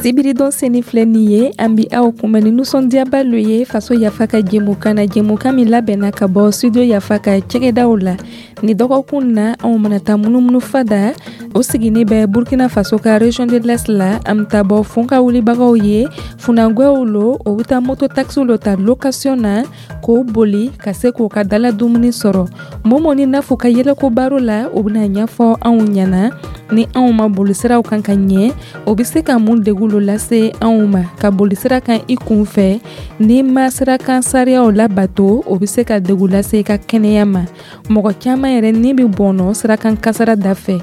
Sibiridon seni filɛ nin ye, an bi aw kunbɛn ni nisɔndiyaba lo ye Faso Yafa ka jɛmukan na, jɛmukan min labɛnna ka bɔ Studio Yafa ka cɛgɛdaw la. Ni dɔgɔkun na, anw mana taa munumunu fada o sigini bɛ Burkina Faso ka région de l'Est la. An bɛ taa bɔ funka wulibagaw ye, funangwɛw lo, o bɛ taa moto taxi lo ta location na k'o boli ka se k'o ka dala dumuni sɔrɔ. Momo ni Nafu ka yɛlɛko baro la, o bɛna ɲɛfɔ anw ɲɛna ni anw ma boli siraw kan ka ɲɛ, o bɛ se ka mun degun lo lase anw ma. Ka boli sira kan i kun fɛ, n'i ma sirakan sariyaw labato, o bɛ se ka degun lase i ka kɛnɛya ma. Mɔgɔ caman yɛrɛ ni bɛ bɔnɔ sirakan kasara da fɛ.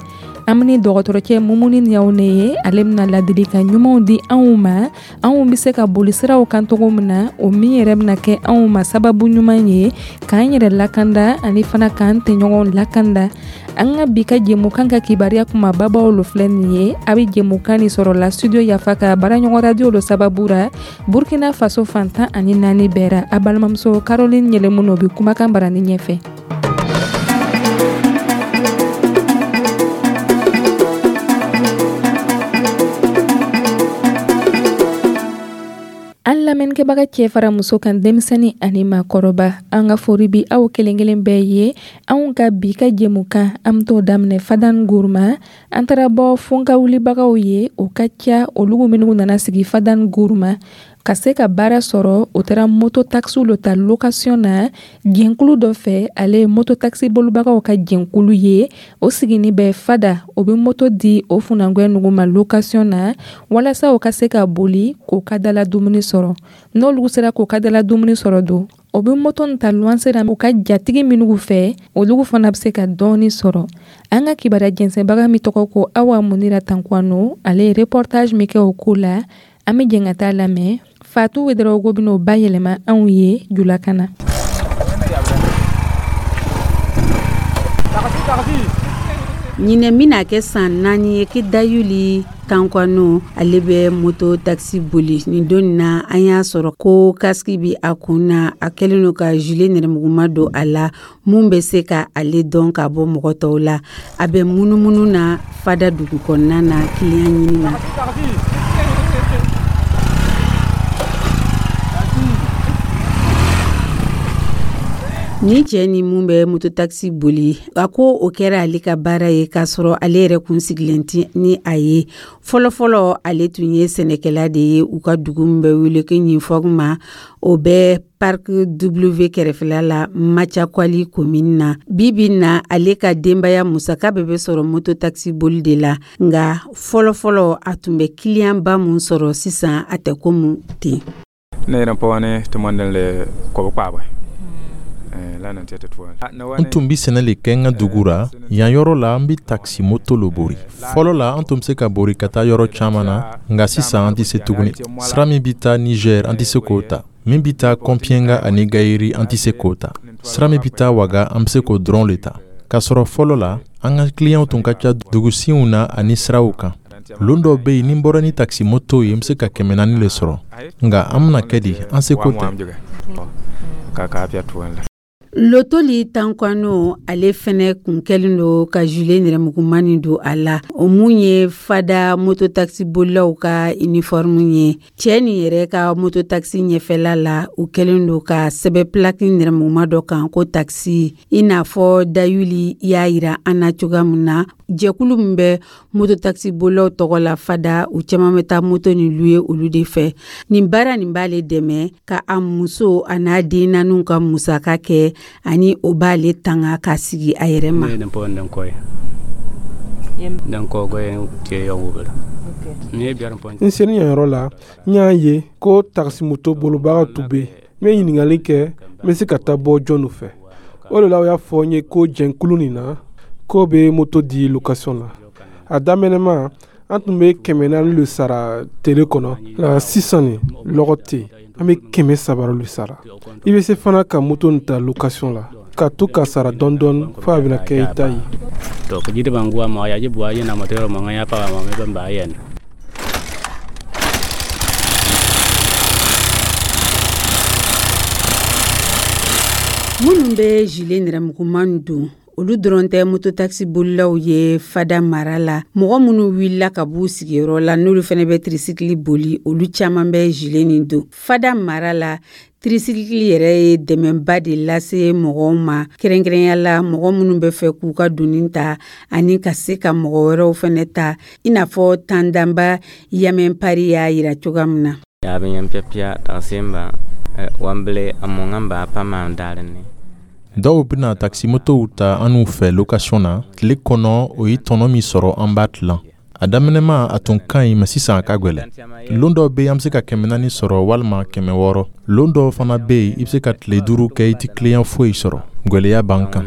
An ni dɔgɔtɔrɔcɛ Mumuni Ɲawune ye, ale bɛna ladilikan ɲumanw di anw ma, anw bɛ se ka boli siraw kan cogo min na, o min yɛrɛ bɛna kɛ anw ma sababu ɲuman ye k'an yɛrɛ lakanda ani fana k'an tɛɲɔgɔnw lakanda. An ka bi ka jɛmukan ka kibaruya kumababaw lo filɛ nin ye. A bɛ jɛmukan nin sɔrɔ la Studio Yafa ka baaraɲɔgɔn radio lo sababu ra, Burkina Faso fan 14 bɛɛ ra. A balimamuso Caroline Yɛlɛmu bɛ kumakan barani ɲɛfɛ. An lamɛnnikɛbaga cɛ fara muso kan, denmisɛnnin ani maakɔrɔba, an ka fori bi aw kelen kelen bɛɛ ye. Anw ka bi ka jɛmukan, an bɛ t'o daminɛ Fadan Guruma. An taara bɔ funka wulibagaw ye, o ka ca olu minnu nana sigi Fadan Guruma ka se ka baara sɔrɔ. O taara moto taxi lo ta location na jɛnkulu dɔ fɛ, ale ye moto taxi bolibagaw ka jɛnkulu ye, o sigini bɛ Fada. O bɛ moto di o funangwɛ nugu ma location na walasa o ka se ka boli k'o ka dala dumuni sɔrɔ. N'olu sera k'o ka dala dumuni sɔrɔ don, o bɛ moto nin ta luwanse la u ka jatigi minnu fɛ, olu fana bɛ se ka dɔɔni sɔrɔ. An ka kibaruya jɛnsɛnbaga min tɔgɔ ko Awa Munira Tankwano, ale ye reportage min kɛ o ko la, an bɛ jɛn ka taa lamɛn. Fatu Wedarawogo bɛn'o bayɛlɛma anw ye julakan na. Ɲinɛ bɛna kɛ san 4 ye ke Dayuli Tankwano, ale bɛ moto taxi boli. Nin don na, an y'a sɔrɔ ko casque bi a kun na, a kɛlen don ka gilet nɛrɛmuguma don a la mun bɛ se ka ale dɔn ka bɔ mɔgɔ tɔw la. A bɛ munumunu na Fada dugu kɔnɔna na kiliyan ɲini na. Ni cɛ ni mun bɛ mototaxi boli, a ko o kɛra ale ka baara ye k'a sɔrɔ ale yɛrɛ kun sigilen tɛ ni a ye. Fɔlɔfɔlɔ, ale tun ye sɛnɛkɛla de ye u ka dugu min bɛ wele ko Ɲinfɔgma, o bɛ Parc W kɛrɛfɛla la, Macakwali commune na. Bi bi na, ale ka denbaya musaka bɛɛ bɛ sɔrɔ mototaxi boli de la, nka fɔlɔfɔlɔ a tun bɛ kiliyanba mun sɔrɔ, sisan a tɛ komi ten. Ne yɛrɛ pɔgɔ tɔmɔnden kɔbɔ. N tun bɛ sɛnɛ le kɛ n ka dugu ra. Yan yɔrɔ la, an bɛ takisi moto lo bori. Fɔlɔ la, an tun bɛ se ka bori ka taa yɔrɔ caman na, nka sisan an tɛ se tuguni. Sira min bɛ taa Niger, an tɛ se k'o ta. Min bɛ taa Kɔnpiɲɛnga ani Gayiri, an tɛ se k'o ta. Sira min bɛ taa Waga, an bɛ se k'o dɔrɔn le ta. K'a sɔrɔ fɔlɔ la, an ka kiliyanw tun ka ca dugusinw na ani siraw kan. Lon dɔw bɛ yen, ni n bɔra ni takisi moto ye, n bɛ se ka 400 le sɔrɔ, nka an bɛna kɛ di? An seko tɛ. Lotoli Tankwano, ale fɛnɛ kun kɛlen don ka gilet nɛrɛmuguma nin don a la, o mun ye Fada mototaxi bolilaw ka uniforme ye. Cɛ nin yɛrɛ ka mototaxi ɲɛfɛla la, u kɛlen don ka sɛbɛn plaque nɛrɛmuguma dɔ kan ko taxi. I n'a fɔ Dayuli y'a yira an na cogoya min na, jɛkulu min bɛ mototaxi bolilaw tɔgɔ la Fada, u caman bɛ taa moto nin louer olu de fɛ. Nin baara nin b'ale dɛmɛ ka a muso a n'a den naaniw ka musaka kɛ, ani o b'ale tanga ka sigi a yɛrɛ ma. N selen yan yɔrɔ la, n y'a ye ko takisimoto bolibaga tun bɛ yen. N bɛ ɲininkali kɛ, n bɛ se ka taa bɔ jɔnw fɛ. O de la, o y'a fɔ n ye ko jɛnkulu nin na, k'o bɛ moto di location na. A daminɛma, an tun bɛ 400 le sara tele kɔnɔ, nka sisan nin lɔgɔ tɛ yen, an bɛ 300 le sara. I bɛ se fana ka moto nin ta location la ka to ka sara dɔɔni dɔɔni fo a bɛna kɛ i ta ye. Minnu bɛ gilet nɛrɛmuguman don, Olu dɔrɔn tɛ mototaxi bolilaw ye Fada mara la. Mɔgɔ minnu wulila ka b'u sigiyɔrɔ la, n'olu fana bɛ tricycle boli, olu caman bɛ gilet nin don. Fada mara la, tricycle yɛrɛ ye dɛmɛba de lase mɔgɔw ma, kɛrɛnkɛrɛnya la mɔgɔ minnu bɛ fɛ k'u ka doni ta ani ka se ka mɔgɔ wɛrɛw fana ta, i n'a fɔ Tandanba Yamɛnpari y'a yira cogoya min na. Dɔw bɛna takisimotow ta an n'u fɛ location na tile kɔnɔ. O ye tɔnɔ min sɔrɔ, an b'a tilan. A daminɛma, a tun ka ɲi, mɛ sisan a ka gwɛlɛ. Lon dɔw bɛ, an bɛ se ka 400 sɔrɔ walima 600. Lon dɔw fana bɛ yen, i bɛ se ka tile 5 kɛ, i tɛ client foyi sɔrɔ. Gwɛlɛya b'an kan.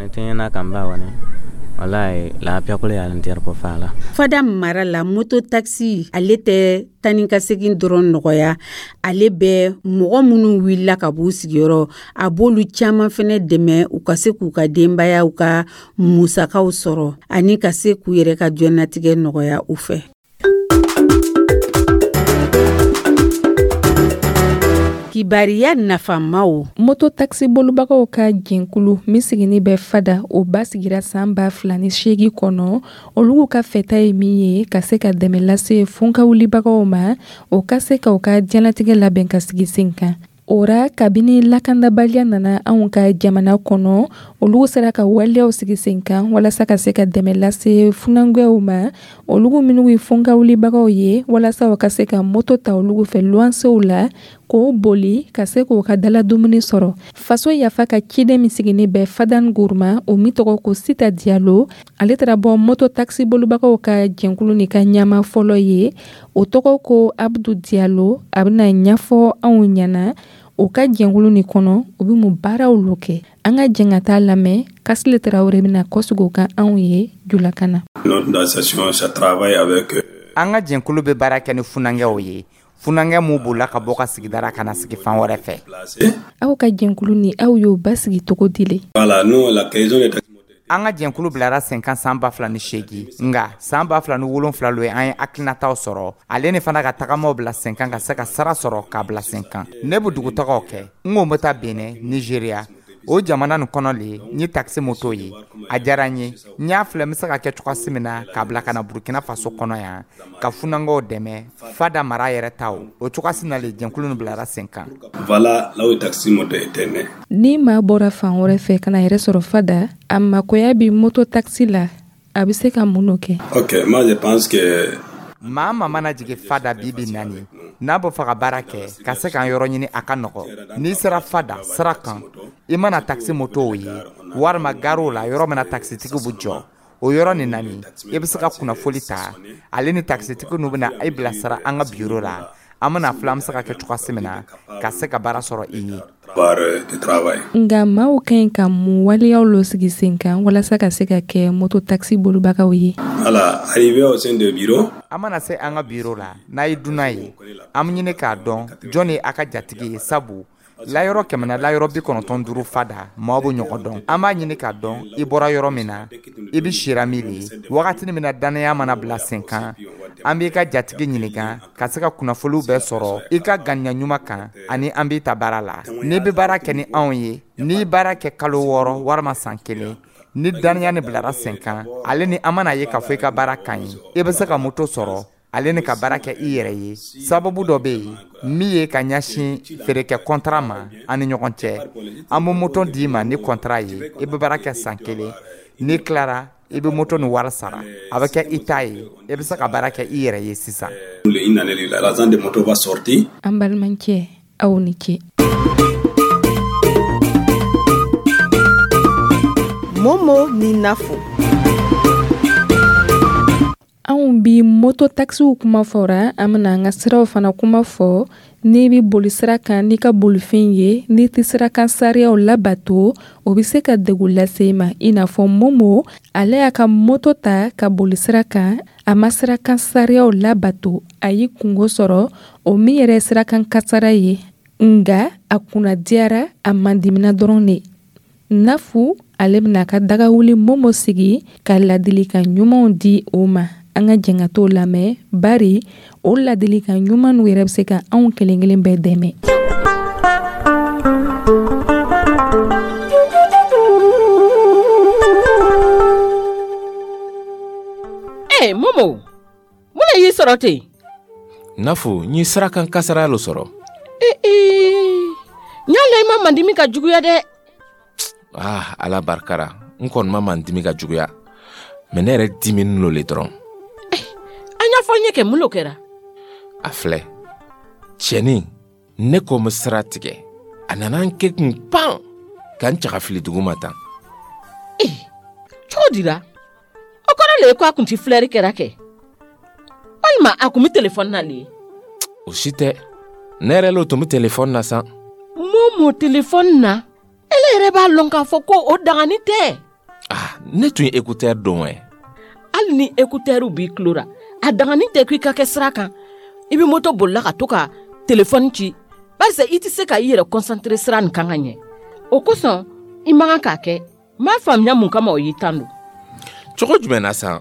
Fada mara la, moto taxi ale tɛ tani ka segin dɔrɔn nɔgɔya. Ale bɛ mɔgɔ minnu wulila ka b'u sigiyɔrɔ, a b'olu caman fɛnɛ dɛmɛ u ka se k'u ka denbayaw ka musakaw sɔrɔ ani ka se k'u yɛrɛ ka diɲɛnatigɛ nɔgɔya u fɛ. Kibariya nafamaw. Moto taxi bolibagaw ka jɛnkulu min sigini bɛ Fada, o basigira san 2008 kɔnɔ. Olu ka fɛta ye min ye, ka se ka dɛmɛ lase funkawulibagaw ma, o ka se ka u ka diɲɛlatigɛ labɛn ka sigi sen kan. O ra, kabini lakandabaliya nana anw ka jamana kɔnɔ, olu sera ka waleyaw sigi sen kan walasa ka se ka dɛmɛ lase funankɛw ma, olu minnu ye funkawulibagaw ye, walasa u ka se ka moto ta olu fɛ luwansew la k'o boli ka se k'o ka dala dumuni sɔrɔ. Faso Yafa ka ciden min sigini bɛ Fadan Guruma, o min tɔgɔ ko Sita Diyalo, ale taara bɔ moto taxi bolibagaw ka jɛnkulu nin ka ɲɛmaa fɔlɔ ye, o tɔgɔ ko Abdu Diyalo. A bɛna ɲɛfɔ anw ɲɛna o ka jɛnkulu nin kɔnɔ, u bɛ mun baaraw lo kɛ. An ka jɛn ka taa lamɛn. Kasile Tarawele bɛna kɔsigi o kan anw ye julakan na. An ka jɛnkulu bɛ baara kɛ ni funankɛw ye, funankɛ mun bolila ka bɔ ka sigidara ka na sigi fan wɛrɛ fɛ. Aw ka jɛnkulu ni aw y'o basigi cogo di le? An ka jɛnkulu bilara sen kan san 2008, nka san 2007 lo ye an ye hakilinataw sɔrɔ, ale ni fana ka tagamaw bila sen kan ka se ka sara sɔrɔ k'a bila sen kan. Ne bɛ dugutagaw kɛ. N ko n bɛ taa Benin, Nigeria, o jamana nin kɔnɔ le n ye taxi moto ye. A diyara n ye, n y'a filɛ n bɛ se ka kɛ cogoya min na k'a bila ka na Burkina Faso kɔnɔ yan ka funankɛw dɛmɛ, Fada mara yɛrɛ ta. O cogoya na le jɛnkulu nin bilara sen kan. Ni maa bɔra fan wɛrɛ fɛ ka na yɛrɛ sɔrɔ Fada, a makoya bɛ moto taxi la, a bɛ se ka mun kɛ? Maa ma mana jigin Fada bi bi naani, n'a bɛ fɛ ka baara kɛ ka se k'an yɔrɔ ɲini, a ka nɔgɔ. N'i sera Fada sira kan, i mana taxi motow ye walima garew la, yɔrɔ min na taxitigiw bɛ jɔ, o yɔrɔ nin nani, i bɛ se ka kunnafoli ta. Ale ni taxitigiw n'u bɛna i bilasira an ka biro la. An bɛna filɛ an bɛ se ka kɛ cogoya min na ka se ka baara sɔrɔ i ye. Nka maaw ka ɲi ka mun waleyaw lo sigi sen kan walasa ka se ka kɛ moto taxi bolibagaw ye? An mana se an ka biro la, n'a ye dunan ye, an bɛ ɲini k'a dɔn jɔn ye a ka jatigi ye, sabu layɔrɔ 100 na layɔrɔ 95 Fada, maaw bɛ ɲɔgɔn dɔn. An b'a ɲini k'a dɔn i bɔra yɔrɔ min na, i bɛ sira min le. Wagati min na dannaya mana bila sen kan, an b'i ka jatigi ɲininka ka se ka kunnafoniw bɛɛ sɔrɔ i ka ganiya ɲuman kan, ani an b'i ta baara la. N'i bɛ baara kɛ ni anw ye, n'i baara kɛ kalo 6 walima san 1, ni dannaya ni bilara sen kan, ale ni an mana ye k'a fɔ i ka baara ka ɲi, i bɛ se ka moto sɔrɔ ale ni ka baara kɛ i yɛrɛ ye. Sababu dɔ bɛ yen min ye ka ɲɛsin feerekɛ kɔntara ma an ni ɲɔgɔn cɛ. An bɛ moto d'i ma ni kɔntara ye, i bɛ baara kɛ san 1, n'i tilara, i bɛ moto ni wari sara, a bɛ kɛ i ta ye, i bɛ se ka baara kɛ i yɛrɛ ye sisan. An balimakɛ, aw ni ce. Momo ni Nafo. Anw bi moto taxiw kuma fɔra, an bɛna an ka siraw fana kuma fɔ. N'i bɛ boli sira kan n'i ka bolifɛn ye, n'i tɛ sira kan sariyaw labato, o bɛ se ka degun lase i ma. I n'a fɔ Momo, ale y'a ka moto ta ka boli sira kan, a ma sira kan sariyaw labato, a y'i kungo sɔrɔ, o min yɛrɛ ye sira kan kasara ye. Nka a kunna diyara, a mandimina dɔrɔn de. Nafu, ale bɛna a ka dagawuli Momo sigi ka ladilikan ɲumanw di o ma. An ka jɛn ka t'o lamɛn, bari o ladilikan ɲuman n'u yɛrɛ bɛ se ka anw kelen kelen bɛɛ dɛmɛ. Ee Momo, mun de y'i sɔrɔ ten? Nafo, n ye sirakan kasara lo sɔrɔ. Ee, n y'a la i ma mandimi ka juguya dɛ. Ah, Ala barika ra, n kɔni ma mandimi ka juguya, mais ne yɛrɛ diminin lo le dɔrɔn. An y'a fɔ n ye kɛ, mun lo kɛra? A filɛ, cɛnin, ne ko n bɛ sira tigɛ, a nana n kɛ kun pan ka n cɛ ka fili dugu ma tan. Ee, cogo di la? O kɔrɔ le ye ko a kun ti filɛri kɛra kɛ, walima a kun bɛ telefɔni na le ye? O si tɛ, ne yɛrɛ lo tun bɛ telefɔni na san. Momo, telefɔni na? Ele yɛrɛ b'a lɔn k'a fɔ ko o dagani tɛ. Ah, ne tun ye écouteur don wɛ. Hali ni écouteur b'i tulo ra, a dagani tɛ ko i ka kɛ sira kan, i bɛ moto bolila ka to ka telefɔni ci, barisa i tɛ se ka i yɛrɛ concentré sira nin kan ka ɲɛ. O kosɔn i man kan k'a kɛ. N m'a faamuya mun kama o y'i tan don. Cogo jumɛn na san?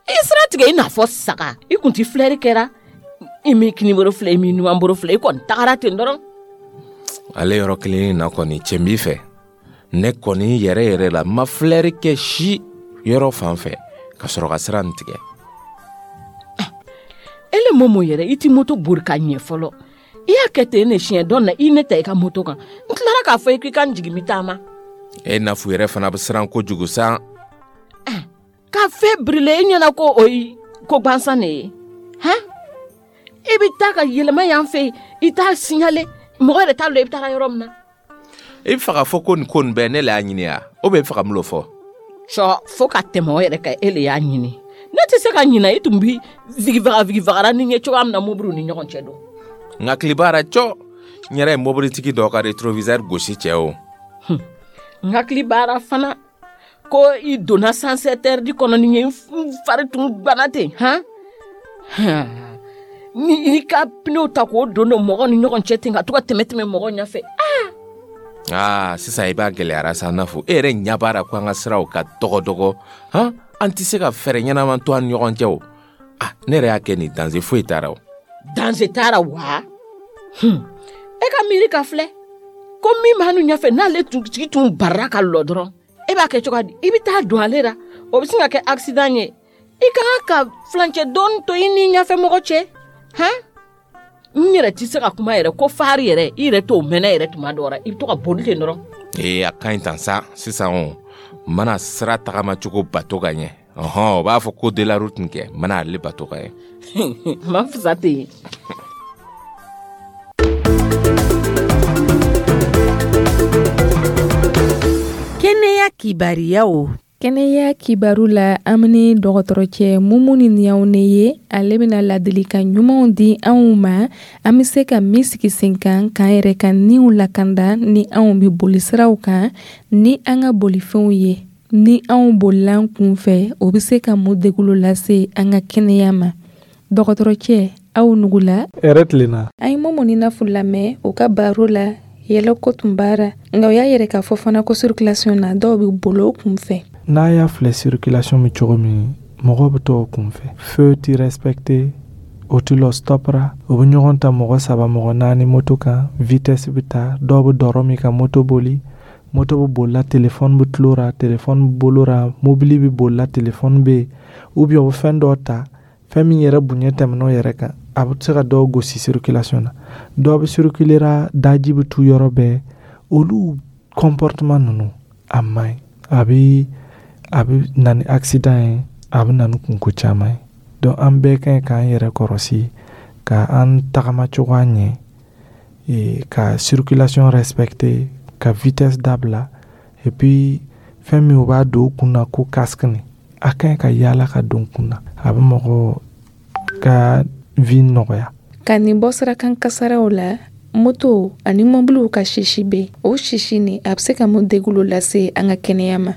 I ye sira tigɛ i n'a fɔ saga, i kun ti filɛri kɛra, i m'i kinibolo filɛ, i m'i numanbolo filɛ, i kɔni tagara ten dɔrɔn. Ale yɔrɔ kelen na kɔni, cɛ b'i fɛ, ne kɔni yɛrɛ yɛrɛ la, n ma filɛri kɛ si yɔrɔ fan fɛ ka sɔrɔ ka sira nin tigɛ. Ele Momo yɛrɛ, i ti moto bori ka ɲɛ fɔlɔ. I y'a kɛ ten ne siɲɛ dɔ na, i ne ta i ka moto kan, n tilara k'a fɔ i k'i ka n jigin, n bɛ taama. E Nafu yɛrɛ fana bɛ siran kojugu san. Ka fɛn birile e ɲɛna ko o ye ko gansan de ye, han? I bɛ taa ka yɛlɛma yan fɛ, i t'a signalé, mɔgɔ yɛrɛ t'a lɔn i bɛ taara yɔrɔ min na. I bɛ fɛ k'a fɔ ko nin ko nin bɛɛ ne le y'a ɲini ya, ou bien i bɛ fɛ ka mun lo fɔ? Cɔ, fo ka tɛmɛ o yɛrɛ kan, e le y'a ɲini. Ne tɛ se ka ɲinɛ i tun bi vigivaga vigivagara ni ɲɛ cogoya min na mobiliw ni ɲɔgɔn cɛ don. N hakili b'a la cɔ, n yɛrɛ ye mobilitigi dɔ ka rétroviseur gosi cɛ o. N hakili b'a la fana ko i donna sens interdit kɔnɔ ni ye, n fari tun gbana ten, han? Ni i ka pneu ta k'o don don mɔgɔw ni ɲɔgɔn cɛ ten, ka to ka tɛmɛ tɛmɛ mɔgɔw ɲɛfɛ. Aa, sisan i b'a gɛlɛyara sa Nafu, e yɛrɛ ɲɛ b'a la ko an ka siraw ka dɔgɔ dɔgɔ, han? An tɛ se ka fɛɛrɛ ɲɛnama to an ni ɲɔgɔn cɛ o. Ah, ne yɛrɛ y'a kɛ nin, danger foyi t'a la o. Danger t'a la wa? E ka miiri ka filɛ ko min b'an ɲɛfɛ, n'ale tigi tun barara ka lɔ dɔrɔn, e b'a kɛ cogo di? I bɛ taa don ale la, o bɛ sin ka kɛ accident ye. I ka kan ka furancɛ dɔɔni to i ni ɲɛfɛ mɔgɔ cɛ, han? N yɛrɛ tɛ se ka kuma yɛrɛ ko fari yɛrɛ, i yɛrɛ t'o mɛnɛ yɛrɛ tuma dɔ la, i bɛ to ka boli ten dɔrɔn. Ee, a ka ɲi tan sa. Sisan o, n mana sira tagamacogo bato ka ɲɛ, ɔhɔn, o b'a fɔ ko de la route kɛ, n mana ale bato ka ɲɛ. Ma fisa ten. Kɛnɛya kibariyaw. Kɛnɛya kibaru la, an bɛ dɔgɔtɔrɔcɛ Mumuni Ɲawune ye. Ale bɛna ladilikan ɲumanw di anw ma, an bɛ se ka min sigi sen kan k'an yɛrɛ ka niw lakanda ni anw bɛ boli siraw kan ni an ka bolifɛnw ye. Ni anw bolila an kun fɛ, o bɛ se ka mun degun lase an ka kɛnɛya ma? Dɔgɔtɔrɔcɛ, aw nugula. Hɛrɛ tilenna. An ye Mumuni Nafu lamɛn u ka baro la, yɛlɛko tun b'ara, nka o y'a yɛrɛ k'a fɔ fana ko circulation na, dɔw bɛ boli o kun fɛ. N'a y'a filɛ circulation bɛ cogo min, mɔgɔw bɛ to o kun fɛ, feu ti respecté, o ti lɔ stop ra, o bɛ ɲɔgɔn ta mɔgɔ saba, mɔgɔ naani moto kan, vitesse bɛ taa, dɔw bɛ dɔrɔ min ka moto boli, moto bɛ bolila, téléphone bɛ tulo ra, téléphone bɛ bolo ra, mobili bɛ bolila, téléphone bɛ yen, ou bien o bɛ fɛn dɔ ta, fɛn min yɛrɛ bonya tɛmɛn'o yɛrɛ kan, a bɛ se ka dɔw gosi circulation na, dɔw bɛ circuler ra, daji bɛ tu yɔrɔ bɛɛ. Olu comportement ninnu a man ɲi, a bɛ na ni accident ye, a bɛ na ni kunko caman ye. Donc an bɛɛ ka ɲi k'an yɛrɛ kɔrɔsi, ka an tagama cogoya ɲɛ, ka circulation respecter, ka vitesse dabila, et puis fɛn min u b'a don u kun na ko casque nin, a ka ɲi ka yaala ka don kun na, a bɛ mɔgɔ ka vie nɔgɔya. Ka nin bɔ sirakan kasaraw la, moto ani mɔbiliw ka sisi bɛ, o sisi nin a bɛ se ka mun degun lase an ka kɛnɛya ma?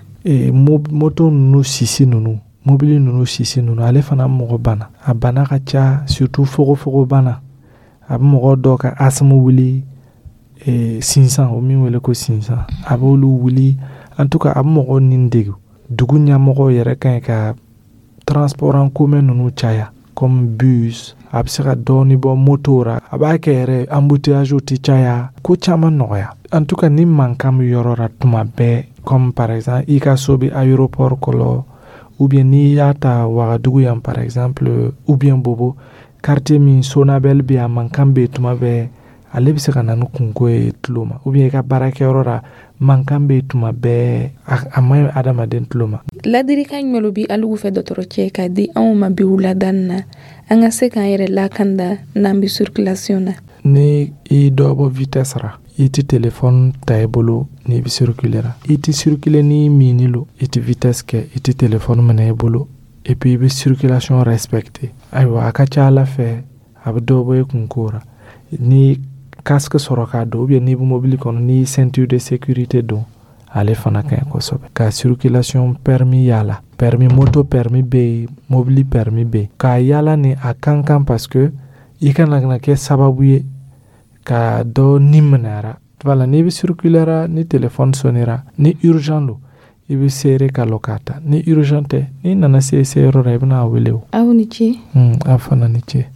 Moto ninnu sisi ninnu, mobili ninnu sisi ninnu, ale fana mɔgɔ bana, a bana ka ca, surtout fogofogo bana, a bɛ mɔgɔ dɔw ka asthme wuli, sinsan, o min wele ko sinsan, a b'olu wuli. En tout cas a bɛ mɔgɔw ni degun. Dugu ɲɛmɔgɔw yɛrɛ ka ɲi ka transport en commun ninnu caya, comme bus, a bɛ se ka dɔɔni bɔ moto ra, a b'a kɛ yɛrɛ embouteillage tɛ caya, ko caman nɔgɔya. En tout cas ni mankan bɛ yɔrɔ la tuma bɛɛ, comme par exemple i ka so bɛ aéroport kɔnɔ, Ou bien n'i y'a ta Wagadugu yan par exemple, ou bien Bobo, quartier min Sonabel bɛ, a mankan bɛ yen tuma bɛɛ, ale bɛ se ka na ni kunko ye tulo ma. Ou bien i ka baarakɛyɔrɔ la, mankan bɛ yen tuma bɛɛ, a man ɲi adamaden tulo ma. Ladilikan jumɛn bɛ alugu fɛ, dɔgɔtɔrɔcɛ, ka di anw ma bi wulada na, an ka se k'an yɛrɛ lakanda n'an bɛ circulation na? Ni i dɔ bɔ vitesse ra, i tɛ téléphone ta i bolo n'i bɛ circuler ra, i tɛ circuler ni minni lo, i tɛ vitesse kɛ, i tɛ téléphone minɛ i bolo, et puis i bɛ circulation respecter. Ayiwa, a ka ca Ala fɛ, a bɛ dɔ bɔ i kunko ra. Ni casque sɔrɔ k'a don, ou bien n'i bɛ mobili kɔnɔ, n'i ceinture de sécurité don, ale fana ka ɲi kosɛbɛ. Ka circulation permis yala, permis moto, permis bɛ yen, mobili permis bɛ yen, k'a yala ni a kan kan, parce que i kana na kɛ sababu ye ka dɔ ni minɛra. Voilà, n'i bɛ circuler ra, ni téléphone sonnera, ni urgent don, i bɛ seere ka lɔ k'a ta. Ni urgent tɛ, n'i nana se se yɔrɔ la, i bɛna a wele o. Aw ni ce. Aw fana ni ce.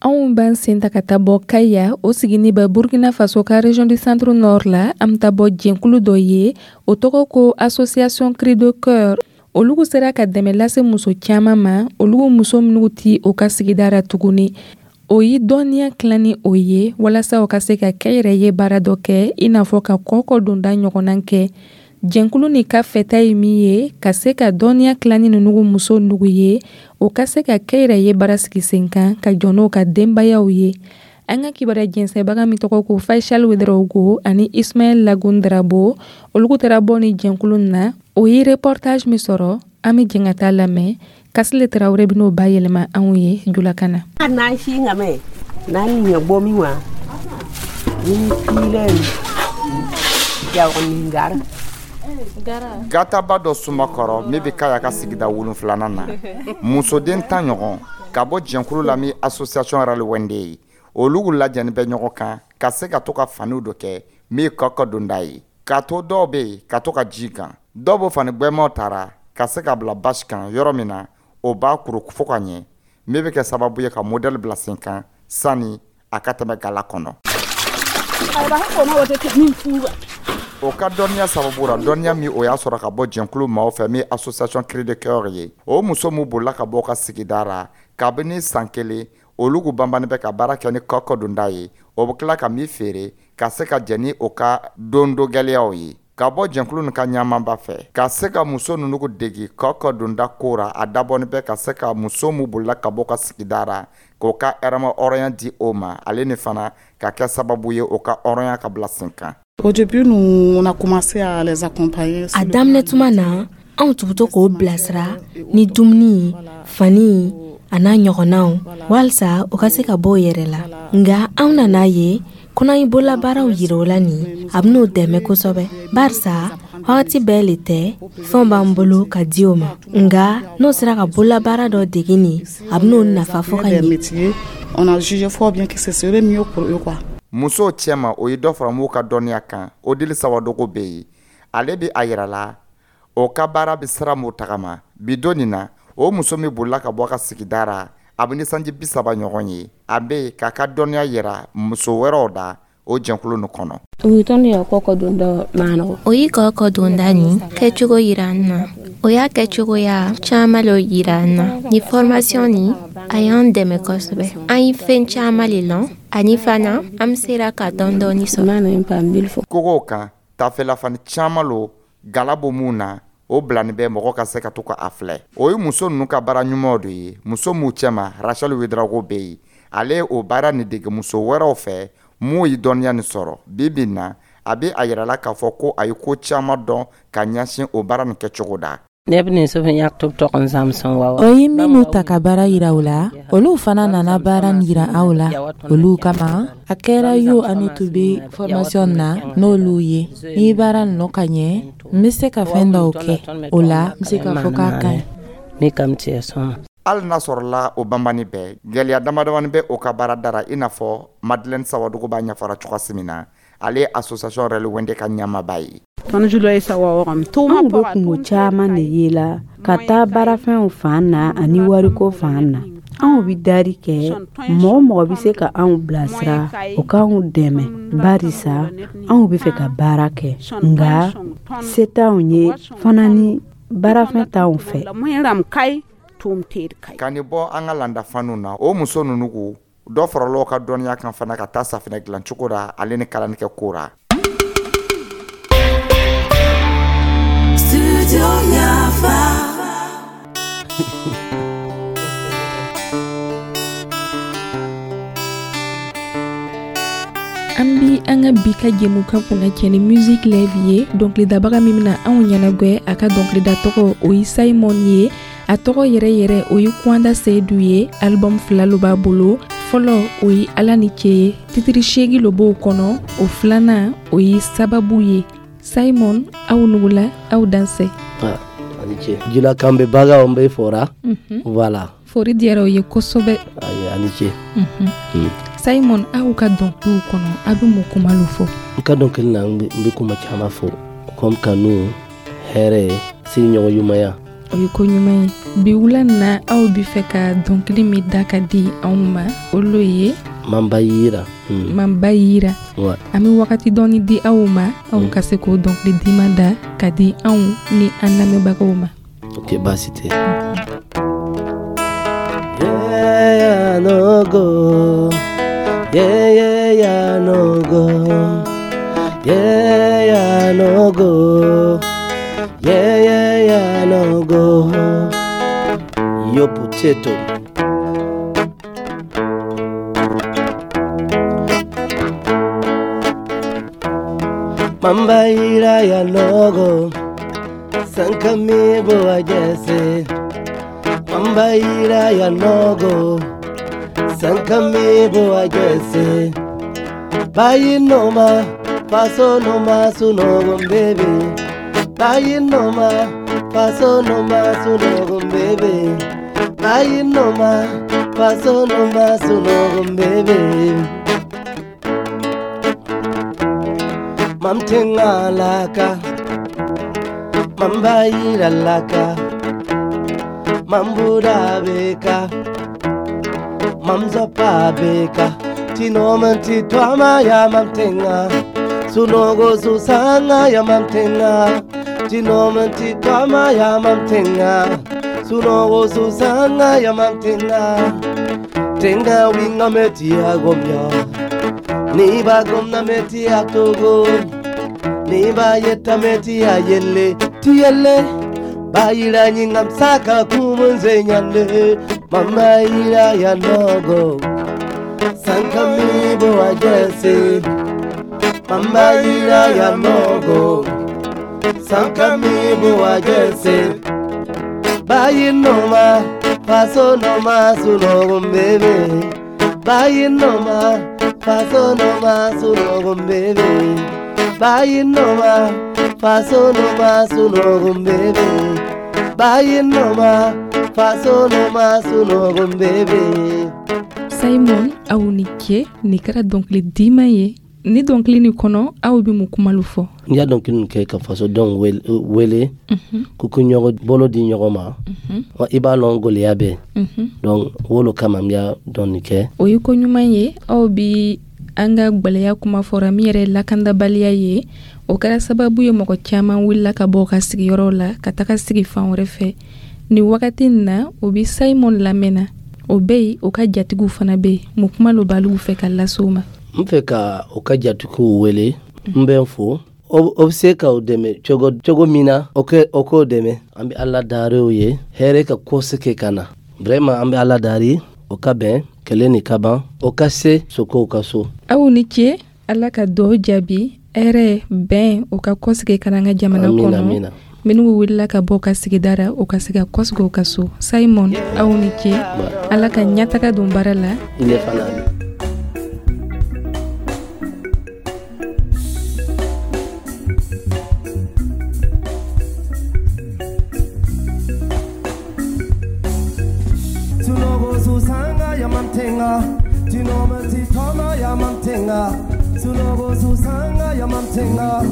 Anw b'an sen ta ka taa bɔ Kaya, o sigini bɛ Burkina Faso ka région du centre nord la. An bɛ taa bɔ jɛnkulu dɔ ye, o tɔgɔ ko Association Cri de Cœur. Olugu sera ka dɛmɛ lase muso caman ma, olugu muso minnu ti o ka sigida ra tuguni. O ye dɔnniya tilan ni o ye walasa o ka se ka kɛnyɛrɛye ye baara dɔ kɛ, i n'a fɔ ka kɔkɔ donda ɲɔgɔnna kɛ. Jɛnkulu ni ka fɛta ye min ye, ka se ka dɔnniya tilan ni ninnu muso nugu ye, o ka se ka kɛnyɛrɛye baara sigi sen kan ka jɔ n'o ka denbayaw ye. An ka kibaruya jɛnsɛnbaga min tɔgɔ ko Faisal Ouedraogo ani Ismaël Lagun Drabo, olu taara bɔ ni jɛnkulu na. O ye reportage min sɔrɔ, an bɛ jɛn ka taa lamɛn. Kasile Tarawele bɛn'o bayɛlɛma anw ye julakan na. N'an si ŋamɛ n'an ɲɛ bɔ min wa ni filen jawani gara. Gataba dɔ sumakɔrɔ min bɛ Kaya ka sigida 7nan na, musoden 10 ɲɔgɔn ka bɔ jɛnkulu la min association Ralwende ye, olu lajɛni bɛ ɲɔgɔn kan ka se ka to ka faniw dɔ kɛ min kɔkɔ donda ye, k'a to dɔw bɛ yen ka to ka ji kan, dɔw b'o fani gbɛmaw tara ka se ka bila basi kan yɔrɔ min na, o b'a kuru fo ka ɲɛ, min bɛ kɛ sababu ye ka modèle bila sen kan sani a ka tɛmɛ gala kɔnɔ. O ka dɔnniya sababu ra, dɔnniya min o y'a sɔrɔ ka bɔ jɛnkulu maaw fɛ min association Cri de Cœur ye, o muso min bolila ka bɔ ka sigida ra kabini san 1, olu banbannen bɛ ka baara kɛ ni kɔkɔ donda ye, o bɛ tila ka min feere ka se ka jɛ ni o ka dondo gɛlɛyaw ye. Ka bɔ jɛnkulu nin ka ɲamanba fɛ ka se ka muso ninnu degi kɔkɔ donda ko ra, a dabɔnin bɛ ka se ka muso min bolila ka bɔ ka sigida ra k'o ka hɛrɛma hɔrɔnya di o ma, ale ni fana ka kɛ sababu ye o ka hɔrɔnya ka bila sen kan. Au début, nous, on a commencé à les accompagner. A daminɛ tuma na, anw tun bɛ to k'o bilasira ni dumuni, fani a n'a ɲɔgɔnnaw, walisa o ka se ka bɔ o yɛrɛ la. Nka anw nana ye ko n'an ye bololabaaraw yira o la nin, a bɛn'o dɛmɛ kosɛbɛ, barisa wagati bɛɛ le tɛ fɛnw b'an bolo ka di o ma. Nka n'o sera ka bololabaara dɔ dege nin, a bɛn'o nafa fo ka ɲɛ. On a jugé fort bien que ce serait mieux pour eux, quoi. Musow cɛma, o ye dɔ fara m'u ka dɔnniya kan. O dili Sawadogo bɛ yen, ale bɛ a yira la o ka baara bɛ sira m'o tagama bi don nin na. O muso min bolila ka bɔ a ka sigida ra, a bɛ ni sanji 30 ɲɔgɔn ye, a bɛ yen k'a ka dɔnniya yira muso wɛrɛw da o jɛnkulu nin kɔnɔ. O ye kɔkɔ donda nin kɛcogo yira an na. O y'a kɛcogoya caman le yira an na. Ni formation nin, a y'an dɛmɛ kosɛbɛ. An ye fɛn caman le lɔn, ani fana an sera ka dɔɔni dɔɔni sɔrɔ. Kogow kan tafelafani caman lo gala bɔ mun na, o bilani bɛ mɔgɔ ka se ka to ka a filɛ. O ye muso ninnu ka baara ɲumanw de ye. Muso m'u cɛma, Rachel Ouedraogo bɛ yen, ale ye o baara nin dege muso wɛrɛw fɛ m'u ye dɔnniya nin sɔrɔ. Bi bi na, a bɛ a yirala k'a fɔ ko a ye ko caman dɔn ka ɲɛsin o baara nin kɛcogo da. O ye minnu ta ka baara yira u la, olu fana nana baara yira aw la. Olu kama, a kɛra y'o anu tun bɛ formation na n'olu ye. Ni baara ninnu ka ɲɛ, n bɛ se ka fɛn dɔw kɛ. O la, n bɛ se k'a fɔ k'a ka ɲi. Hali n'a sɔrɔla o banbani bɛɛ, gɛlɛya damadamani bɛ o ka baara dara, i n'a fɔ Madeleine Sawadogo b'a ɲɛfɔra cogoya min na, ale ye association Ralwende ka ɲɛmaaba ye. Anw bɛ kungo caman de ye la ka taa baarafɛnw fan na ani wariko fan na. Anw bɛ dari kɛ, mɔgɔ o mɔgɔ bɛ se ka anw bilasira, o k'anw dɛmɛ, barisa anw bɛ fɛ ka baara kɛ, nka se t'anw ye fana ni baarafɛn t'anw fɛ. Ka nin bɔ an ka landafaniw na, o muso ninnu ko dɔ farala ka dɔnniya kan fana ka taa safinɛ dilancogo ra ale ni kalanikɛ ko ra. Studio Yafa. An bi an ka bi ka jɛmukan kunnacɛ ni musique live ye. Dɔnkilidabaga min bɛna anw ɲɛnagwɛ, a ka dɔnkilida tɔgɔ o ye Simon ye. A tɔgɔ yɛrɛ yɛrɛ o ye Kwanda Seyidu ye. Album 2 lo b'a bolo. Fɔlɔ o ye Ala ni ce ye, titiri 8 lo b'o kɔnɔ. O filanan o ye Sababu ye. Simon, aw nugula, aw dansɛ. Ani ce. Jula kan bɛ bagaw bɛ fɔra. Voilà. Fori diyara o ye kosɛbɛ. Ayi, ani ce. Simon, aw ka dɔnkiliw kɔnɔ, aw bɛ mun kuma lo fɔ? N ka dɔnkili na, n bɛ kuma caman fɔ, comme kanu, hɛrɛ, sigiɲɔgɔn ɲumanya. O ye ko ɲuman ye. Bi wula na, aw bɛ fɛ ka dɔnkili min da ka di anw ma, o lo ye Mamba yira. Mamba yira. An bɛ wagati dɔɔni di aw ma, aw ka se k'o dɔnkili diman da ka di anw ni an lamɛnbagaw ma. Ok, baasi tɛ. Yeah, no go. Yeah, yeah, yeah, no go. Yeah, yeah, no go. Yeah, yeah, yeah, no go. Yo potato. Mamba ira ya nogo. Sankami bo ajese. Mamba ira ya nogo. Sankami bo ajese. Bayi noma, faso noma sunogo baby. Bayi noma, faso noma sunogo baby. Bayi noma, faso noma sunogo baby. Mamtenga laka, mamba ira laka, mambuda beka, mamzopa beka. Tinoman titwama ya mamtenga, sunogo susanga ya mamtenga. Tinoman titwama ya mamtenga, sunogo susanga ya mamtenga. Tenga winga metia gomya, niba gomna metia togo, niba yeta metia yele tiyele. Bayira nyingam saka kumunze nyande, mama ira ya nogo. Sankami bo ajese, mama ira ya nogo. Sankami bo ajese, bayi noma, faso noma sunogo bebe. Bayi noma, faso noma sunogo bebe. Bayi noma, faso noma sunogo bebe. Bayi noma, faso noma sunogo bebe. Simon, aw ni ce, nin kɛra dɔnkili diman ye. Ni dɔnkili nin kɔnɔ, aw bɛ mun kuma lo fɔ? N y'a dɔnkili nin kɛ ka fasodenw wele k'u ka ɲɔgɔn bolo di ɲɔgɔn ma. Wa i b'a lɔn gɛlɛya bɛ. Donc o lo kama n y'a dɔn nin kɛ. O ye ko ɲuman ye. Aw bi an ka gwɛlɛya kuma fɔra min yɛrɛ lakandabaliya ye. O kɛra sababu ye mɔgɔ caman wulila ka bɔ u ka sigiyɔrɔw la ka taga sigi fan wɛrɛ fɛ. Nin wagati in na, o bi Simon lamɛnna. O bɛ yen, o ka jatigiw fana bɛ yen. Mun kuma lo b'alu fɛ ka lase u ma? N fɛ ka o ka jatigiw wele, n bɛ n fo. O bɛ se ka o dɛmɛ cogo min na, o k'o dɛmɛ. An bɛ Ala dari o ye, hɛrɛ ka ko se kɛ ka na. Vraiment an bɛ Ala dari, o ka bɛn, kɛlɛ ni ka ban, o ka se sokow ka so. Aw ni ce, Ala ka duwawu jaabi, hɛrɛ, bɛn, o ka kɔsegin ka na an ka jamana Amina, kɔnɔ. amina. Minnu wulila ka bɔ ka sigida ra, o ka se ka kɔsegin u ka so. Simon, aw ni ce, Ala ka ɲɛtaga don baara la. I ne fana. Sunogo susanga ya mamtenga, tinoma titoma ya mamtenga. Sunogo susanga ya mamtenga,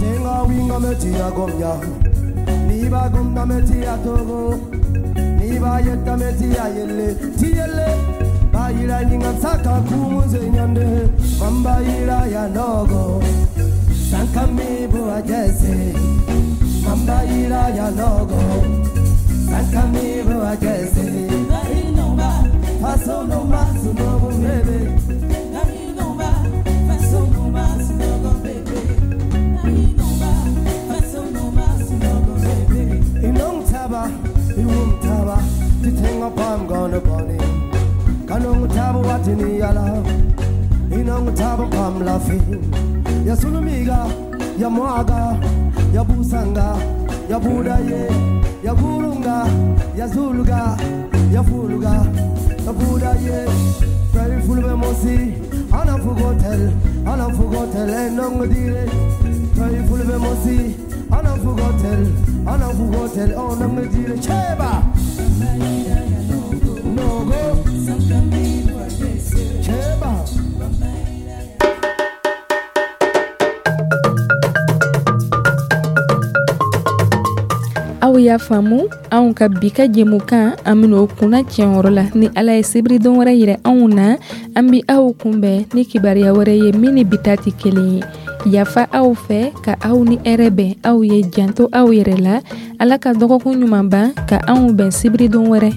tenga winga metia gomnya, niba gomna metia togo, niba Nibayeta meti ayele tiyele bayira ningatsaka kumuze nyande mambayira ya nogo sankamibu ajese mambayira ya nogo sankamibu ajese faso no masu no bebe. Inongtaba iwumtaba titenga pam gona boni kanongtaba watini yala inongtaba pam lafi yasulumiga yamwaga yabusanga yabudaye yaburunga yazuluga yafuluga yabudaye Very fulbe mosi anafugotel anafugotel enongdire Very fulbe mosi anafugotel anafugotel onongdire cheba. Nogo. Cheba. Aw y'a faamu, anw ka bi ka jɛmukan, an bena o kunna tiɲɛyɔrɔ la. Ni Ala ye sibiridon wɛrɛ yira anw na, an bi aw kunbɛn ni kibaruya wɛrɛ ye min ni bi ta tɛ kelen ye. Yafa aw fɛ ka aw ni hɛrɛ bɛn. Aw ye janto aw yɛrɛ la. Ala ka dɔgɔkun ɲuman ban ka anw bɛn sibiridon wɛrɛ.